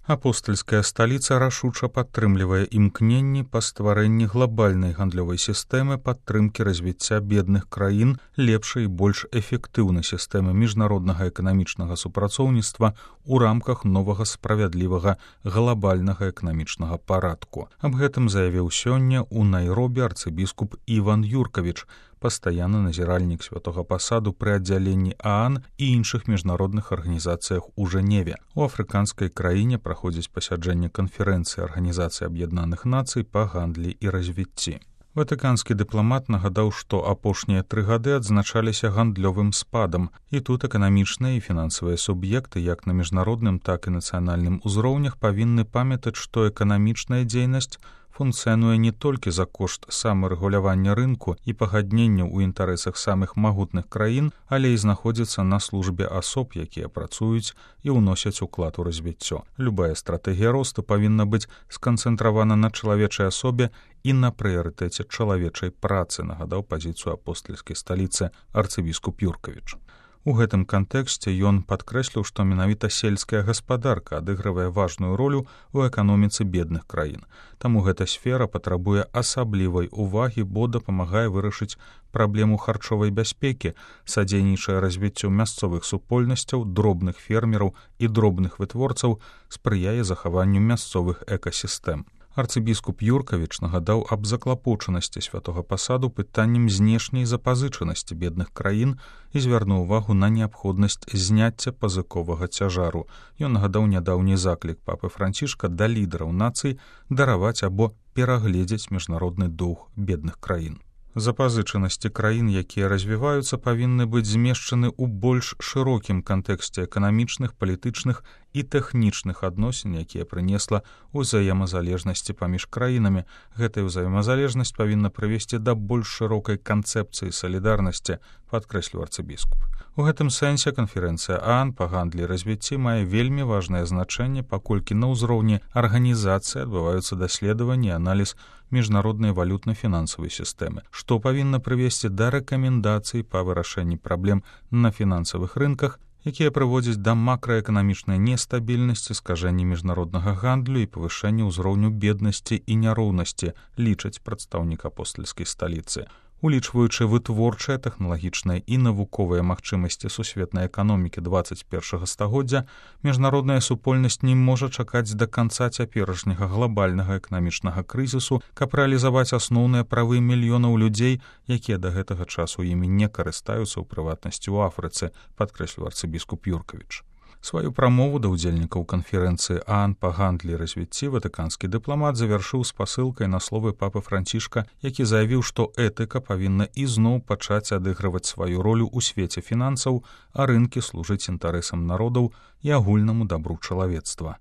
Апостальская сталіца рашуча падтрымлівае імкненні па стварэнні глобальнай гандлёвай сістэмы падтрымкі развіцця бедных краін, лепшай і больш эфектыўнай сістэмы міжнароднага эканамічнага супрацоўніцтва ў рамках новага справядлівага глобальнага эканамічнага парадку. Аб гэтым заявіў сёння ў Найробі арцыбіскуп Іван Юркавіч, пастаянны назіральнік святога пасаду пры аддзяленні ААН і іншых міжнародных арганізацыях у Жэневе. У афрыканскай краіне праходзіць пасяджэнне канферэнцыі Арганізацыі Аб'яднаных Нацый па гандлі і развіцці. Ватыканскі дыпламат нагадаў, што апошнія 3 гады адзначаліся гандлёвым спадам, і тут эканамічныя і фінансавыя суб'екты як на міжнародным, так і нацыянальным узроўнях павінны памятаць, што эканамічная дзейнасць функцыянуе не толькі за кошт самарэгулявання рынку і пагаднення ў інтарэсах самых магутных краін, але і знаходзіцца на службе асоб, якія працуюць і ўносяць уклад у развіццё. Любая стратэгія росту павінна быць сканцэнтравана на чалавечай асобе і на прыярытэце чалавечай працы, нагадаў пазіцыю апостальскай сталіцы арцыбіскуп Юркавіч. У гэтым кантэксце ён падкрэсліў, што менавіта сельская гаспадарка адыгрывае важную ролю ў эканоміцы бедных краін. Таму гэта сфера патрабуе асаблівай увагі, бо дапамагае вырашыць праблему харчовай бяспекі, садзейнічае развіццю мясцовых супольнасцяў, дробных фермераў і дробных вытворцаў, спрыяе захаванню мясцовых экасістэм. Арцыбіскуп Юркавіч нагадаў аб заклапочанасці святога пасаду пытаннем знешняй запазычанасці бедных краін і звярнуў увагу на неабходнасць зняцця пазыковага цяжару. Ён нагадаў нядаўні заклік папы Францішка да лідараў нацый дараваць або перагледзець міжнародны доўг бедных краін. Запазычанасці краін, якія развіваюцца, павінны быць змешчаны ў больш шырокім кантэксце эканамічных, палітычных і тэхнічных адносін, якія прынесла ўзаемазалежнасці паміж краінамі. Гэтая ўзаемазалежнасць павінна прывесці да больш шырокай канцэпцыі салідарнасці, падкрэсліў арцыбіскуп. У гэтым сэнсе канферэнцыя ААН па гандлі і развіцці мае вельмі важнае значэнне, паколькі на ўзроўні арганізацыі адбываюцца даследаванні і аналіз міжнароднай валютна-фінансавай сістэмы, што павінна прывесці да рэкамендацый па вырашэнні праблем на фінансавых рынках, якія прыводзяць да макраэканамічнай нестабільнасці, скажэння міжнароднага гандлю і павышэння ўзроўню беднасці і няроўнасці, лічаць прадстаўнік апостальскай сталіцы. Улічваючы вытворчыя, тэхналагічныя і навуковыя магчымасці сусветнай эканомікі 21 стагоддзя, міжнародная супольнасць не можа чакаць да канца цяперашняга глобальнага эканамічнага крызісу, каб рэалізаваць асноўныя правы мільёнаў людзей, якія да гэтага часу імі не карыстаюцца, у прыватнасці ў Афрыцы, падкрэсліў арцыбіскуп Юркавіч. Сваю прамову да ўдзельнікаў канферэнцыі ААН па гандлі і развіцці ватыканскі дыпламат завяршыў спасылкай на словы папы Францішка, які заявіў, што этыка павінна ізноў пачаць адыгрываць сваю ролю ў свеце фінансаў, а рынкі служыць інтарэсам народаў і агульнаму дабру чалавецтва.